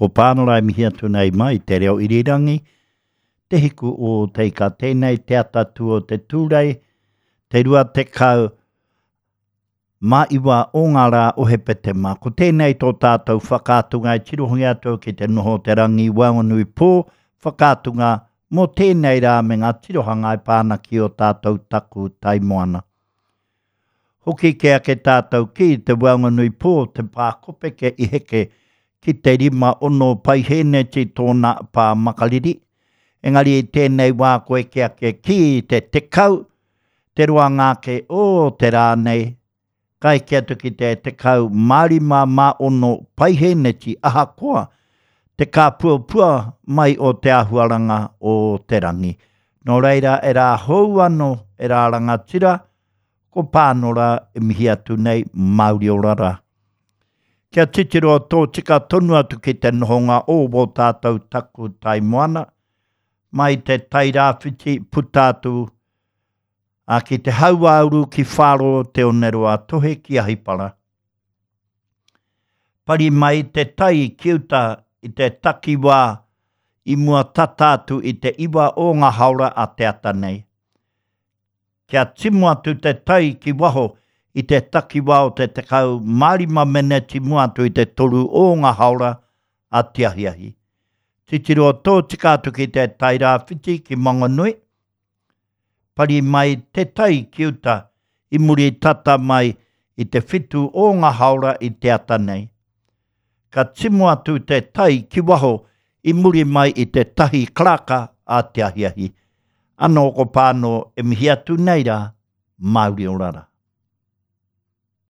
Ko Pānora e mihi atu nei mai te reo irirangi, Te Hiku o Te Ika. Tēnei te atatū o te Tūrei, te 20 mā iwa o ngā rā o Hepetema. Ko tēnei tō tātou whakaatunga e tirohia atu ki te noho o te rangi waenganui pō, whakaatunga mō tēnei rā me ngā tirohanga e pā ana ki ō tātou taku tai moana. Hoki kē ake tātou ki te waenganui pō, te pā kopeke i heke ki te 5 6 paihēneti tōna pā makariri. Engari i tēnei wā ko eke ake ki te 10, te roanga ake o te rā nei, ka eke atu ki te 15 mā 6 paihēneti ahakoa te kāpuapua mai o te āhuaranga o te rangi. Nō reira e rā hou anō, e rā rangatira, ko Pānora e mihi atu nei, Māori ora rā. Kia titiro tōtika tonu atu ki te nohonga o wō tātou taku tai moana, mai te tai rāwhiti puta atu a ki te hauāuru ki Whāro te oneroa tohe ki Ahipara. Pari mai te tai ki uta i te takiwā i mua tata atu i te iwa o ngā haora a te ata nei. Kia timu atu te tai ki waho i te takiwā o te 15 meneti mua atu i te toru o ngā haora a te ahiahi. Titiro tōtika atu ki te Tairāwhiti ki Mangonui, pari mai te tai ki uta i muri tata mai i te whitu o ngā haora i te ata nei. Ka timu atu te tai ki waho i muri mai i te tahi karaka a te ahiahi. Anō ko Pānō e mihi atu nei rā, Māori ora rā.